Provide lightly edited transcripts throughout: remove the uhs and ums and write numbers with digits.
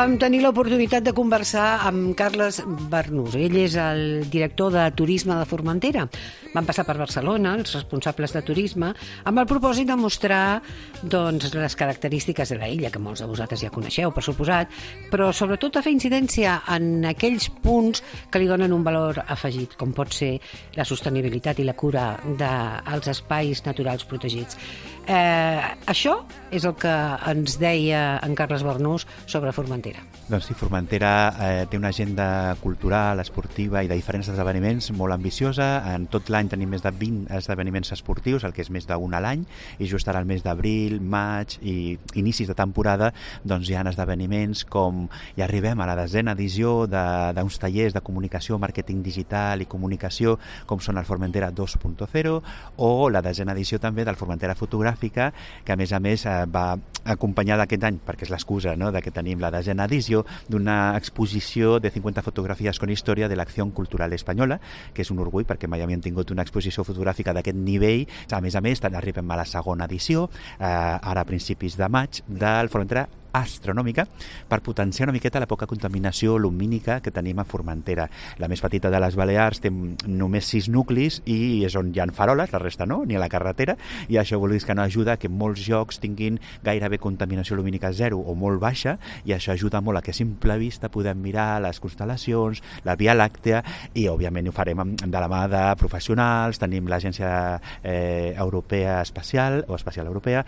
Vam tenir l'oportunitat de conversar amb Carles Barnús. Ell és el director de Turisme de Formentera. Van passar per Barcelona, els responsables de turisme, amb el propòsit de mostrar les característiques de l'illa, que molts de vosaltres ja coneixeu, per suposat, però sobretot a fer incidència en aquells punts que li donen un valor afegit, com pot ser la sostenibilitat i la cura dels espais naturals protegits. Això és el que ens deia en Carles Barnús sobre Formentera. Doncs sí, Formentera té una agenda cultural, esportiva i de diferents esdeveniments molt ambiciosa. En tot l'any tenim més de 20 esdeveniments esportius, el que és més d'un a l'any, i just ara al mes d'abril, maig i inicis de temporada doncs hi ha esdeveniments com ja arribem a la 10a edició d'uns tallers de comunicació, màrqueting digital i comunicació, com són el Formentera 2.0, o la 10a edició també del Formentera Fotogràfica, que a més va acompanyada aquest any, perquè és l'excusa, no?, de que tenim la 10a edició, d'una exposició de 50 fotografies con història de l'acció cultural espanyola, que és un orgull perquè mai havíem tingut una exposició fotogràfica d'aquest nivell. A més, arribem a la 2a edició, ara a principis de maig, del Formentera Astronòmica, per potenciar una miqueta la poca contaminació lumínica que tenim a Formentera. La més petita de les Balears té només 6 nuclis i és on hi ha faroles, la resta no, ni a la carretera, i això vol dir que no ajuda que molts llocs tinguin gairebé contaminació lumínica zero o molt baixa, i això ajuda molt a que a simple vista podem mirar les constel·lacions, la Via Làctea, i òbviament ho farem de la mà de professionals. Tenim l'Agència Europea Espacial, o Espacial Europea,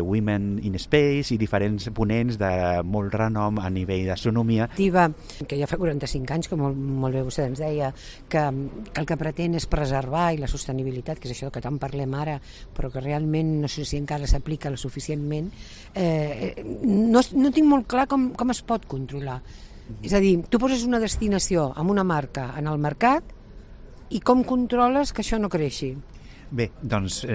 Women in Space i diferents ponents de molt renom a nivell d'astronomia. Que ja fa 45 anys, que molt bé vostè ens deia, que el que pretén és preservar i la sostenibilitat, que és això que tant parlem ara, però que realment no sé si encara s'aplica suficientment, no tinc molt clar com es pot controlar. És a dir, tu poses una destinació amb una marca en el mercat i com controles que això no creixi? Bé, doncs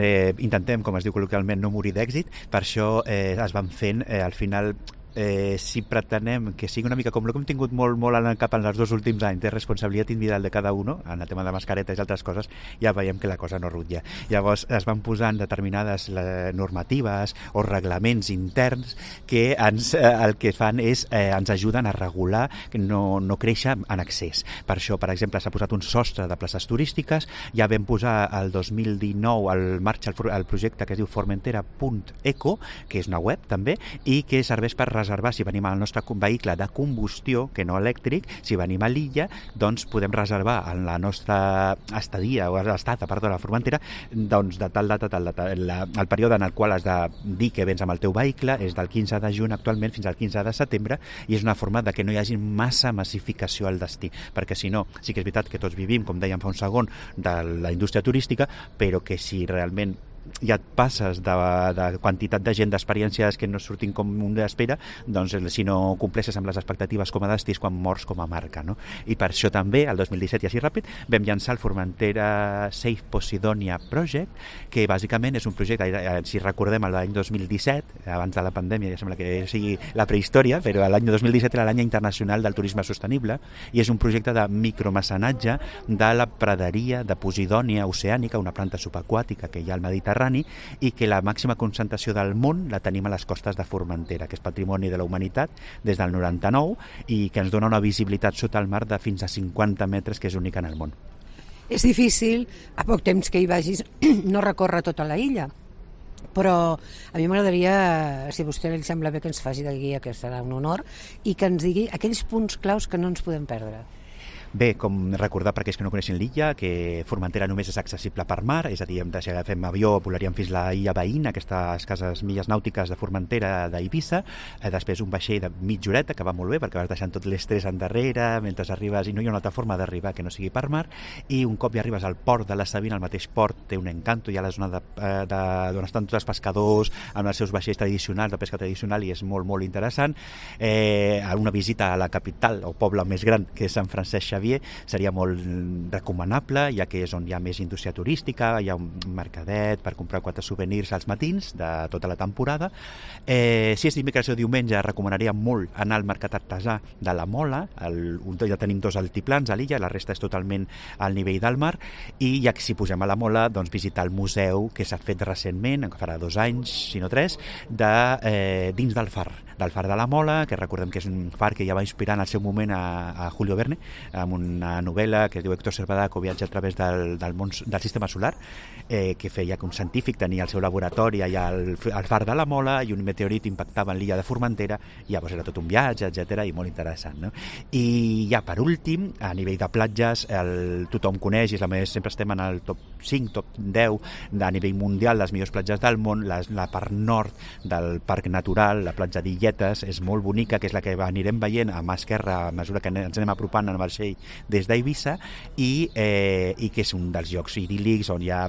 intentem, com es diu col·loquialment, no morir d'èxit. Per això es van fent, al final, si pretenem que sigui una mica com el que hem tingut molt en el cap en els 2 últims anys de responsabilitat individual de cada un, en el tema de mascaretes i altres coses, ja veiem que la cosa no rutlla. Llavors es van posant determinades normatives o reglaments interns que el que fan és ens ajuden a regular que no créixer en excés. Per això, per exemple, s'ha posat un sostre de places turístiques. Ja vam posar el 2019 al marxa el projecte que es diu formentera.eco, que és una web també, i que serveix per reservar, si venim al nostre vehicle de combustió, que no elèctric, si venim a l'illa, doncs podem reservar en la nostra estadia, o estada, a la Formentera, doncs de tal data, el període en el qual has de dir que vens amb el teu vehicle és del 15 de juny actualment fins al 15 de setembre, i és una forma de que no hi hagi massa massificació al destí, perquè si no, sí que és veritat que tots vivim, com dèiem fa un segon, de la indústria turística, però que si realment ja et passes de quantitat de gent, d'experiències que no surtin com un espera, doncs si no compleixes amb les expectatives com a destí és quan mors com a marca, no? I per això també, el 2017, i així ràpid, vam llançar el Formentera Safe Posidonia Project, que bàsicament és un projecte, si recordem l'any 2017, abans de la pandèmia, ja sembla que sigui la prehistòria, però l'any 2017 era l'any internacional del turisme sostenible, i és un projecte de micromecenatge de la praderia de Posidònia oceànica, una planta subaquàtica que hi ha al Mediterrani, i que la màxima concentració del món la tenim a les costes de Formentera, que és patrimoni de la humanitat des del 99 i que ens dona una visibilitat sota el mar de fins a 50 metres, que és única en el món. És difícil, a poc temps que hi vagis, no recórrer tota la illa, però a mi m'agradaria, si a vostè li sembla bé, que ens faci de guia, que serà un honor, i que ens digui aquells punts claus que no ens podem perdre. Bé, com recordar per aquells que no coneixen l'illa, que Formentera només és accessible per mar, és a dir, si agafem avió volaríem fins a l'illa veïna, aquestes escasses milles nàutiques de Formentera d'Eivissa, després un vaixell de mitja horeta, que va molt bé perquè vas deixant tot l'estrès endarrere mentre arribes, i no hi ha una altra forma d'arribar que no sigui per mar, i un cop ja arribes al port de la Sabina, el mateix port té un encanto, hi ha la zona d'on estan tots els pescadors amb els seus vaixells tradicionals, de pesca tradicional, i és molt interessant. Una visita a la capital o poble més gran, que és Sant Francesc Xavier, Xavier seria molt recomanable, ja que és on hi ha més indústria turística, hi ha un mercadet per comprar 4 souvenirs als matins de tota la temporada. Si és dimecres o diumenge, recomanaria molt anar al mercat artesà de la Mola, ja tenim 2 altiplans a l'illa, la resta és totalment al nivell del mar, i ja que si posem a la Mola, doncs visitar el museu que s'ha fet recentment, que farà 2 anys, si no 3, dins del far de la Mola, que recordem que és un far que ja va inspirar en el seu moment a Julio Verne, amb una novel·la que es diu Héctor Servadaco, viatge a través del sistema solar, que feia que un científic tenia el seu laboratori allà al far de la Mola i un meteorit impactava en l'illa de Formentera, i llavors era tot un viatge, etc, i molt interessant, no? I ja per últim, a nivell de platges, tothom coneix, i sempre estem en el top 5, top 10 a nivell mundial, les millors platges del món, la part nord del parc natural, la platja d'Illetes, és molt bonica, que és la que anirem veient a mà esquerra a mesura que ens anem apropant en el vaixell des d'Eivissa, i que és un dels llocs idíl·lics on hi ha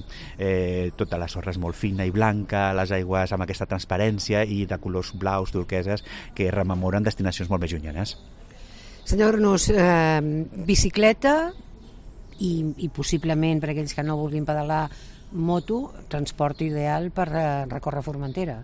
tota la sorra és molt fina i blanca, les aigües amb aquesta transparència i de colors blaus, turqueses, que rememoren destinacions molt més llunyanes. Senyor Arnús, bicicleta i possiblement, per aquells que no vulguin pedalar, moto, transport ideal per recórrer Formentera.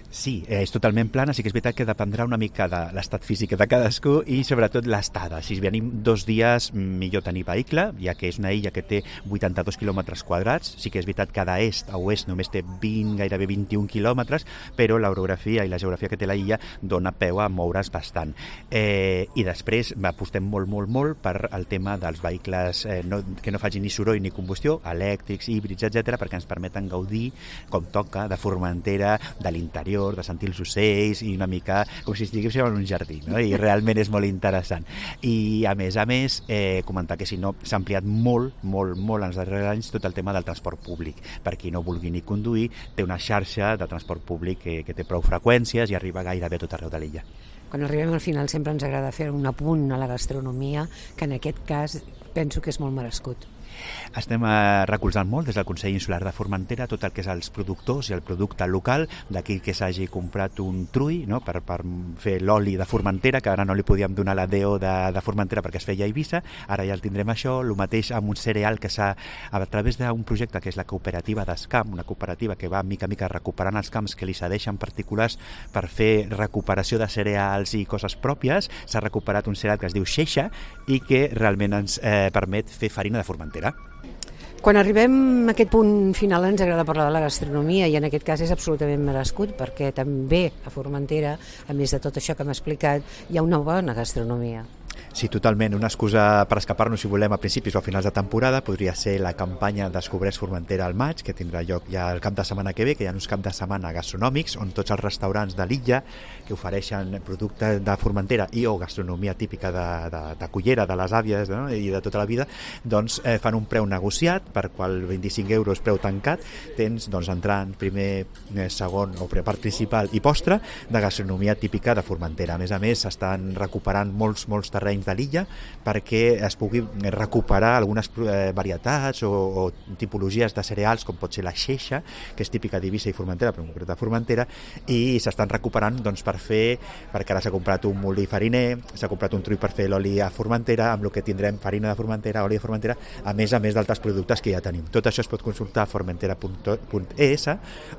Sí, és totalment plana, sí que és veritat que dependrà una mica de l'estat físic de cadascú i sobretot l'estada. Si venim 2 dies, millor tenir vehicle, ja que és una illa que té 82 quilòmetres quadrats. Sí que és veritat que d'est a oest només té 20, gairebé 21 quilòmetres, però l'orografia i la geografia que té la illa dona peu a moure's bastant. I després apostem molt per el tema dels vehicles que no facin ni soroll ni combustió, elèctrics, híbrids, etc, perquè ens permeten gaudir, com toca, de Formentera, de l'interior, de sentir els ocells i una mica com si estiguéssim en un jardí, no? I realment és molt interessant. I a més, comentar que si no s'ha ampliat molt en els darrers anys tot el tema del transport públic. Per qui no vulgui ni conduir, té una xarxa de transport públic que té prou freqüències i arriba gairebé a tot arreu de l'illa. Quan arribem al final sempre ens agrada fer un apunt a la gastronomia, que en aquest cas penso que és molt merescut. Estem recolzant molt des del Consell Insular de Formentera tot el que és els productors i el producte local, d'aquí que s'hagi comprat un trull, no?, per fer l'oli de Formentera, que ara no li podíem donar la DO de Formentera perquè es feia a Eivissa, ara ja el tindrem això, el mateix amb un cereal que s'ha, a través d'un projecte que és la cooperativa d'Escamp, una cooperativa que va mica recuperant els camps que li cedeixen particulars per fer recuperació de cereals i coses pròpies, s'ha recuperat un cereal que es diu Xeixa i que realment ens permet fer farina de Formentera. Quan arribem a aquest punt final ens agrada parlar de la gastronomia i en aquest cas és absolutament merescut perquè també a Formentera, a més de tot això que hem explicat, hi ha una bona gastronomia. Sí, totalment. Una excusa per escapar-nos, si volem, a principis o a finals de temporada podria ser la campanya Descobreix Formentera al maig, que tindrà lloc ja el cap de setmana que ve, que hi ha uns caps de setmana gastronòmics on tots els restaurants de l'illa que ofereixen productes de Formentera i o gastronomia típica de cullera, de les àvies, no?, i de tota la vida, doncs fan un preu negociat, per qual 25 euros preu tancat, tens doncs entrant primer, segon o part principal i postre de gastronomia típica de Formentera. A més, s'estan recuperant molts terrenys de l'illa perquè es pugui recuperar algunes varietats o tipologies de cereals com pot ser la Xeixa, que és típica d'Eivissa i Formentera, però en concret de Formentera, i s'estan recuperant doncs, perquè ara s'ha comprat un molí fariner, s'ha comprat un trull per fer l'oli a Formentera, amb el que tindrem farina de Formentera, oli de Formentera, a més d'altres productes que ja tenim. Tot això es pot consultar a formentera.es,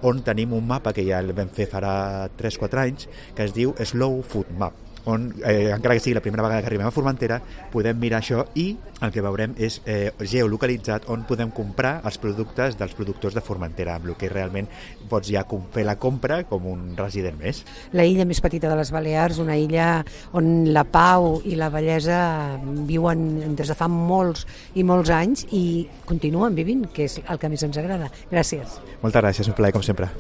on tenim un mapa que ja el vam fer farà 3-4 anys, que es diu Slow Food Map, on, encara que sigui la primera vegada que arribem a Formentera, podem mirar això i el que veurem és geolocalitzat on podem comprar els productes dels productors de Formentera, amb el que realment pots ja fer la compra com un resident més. La illa més petita de les Balears, una illa on la pau i la bellesa viuen des de fa molts i molts anys i continuen vivint, que és el que més ens agrada. Gràcies. Moltes gràcies, un plaer com sempre.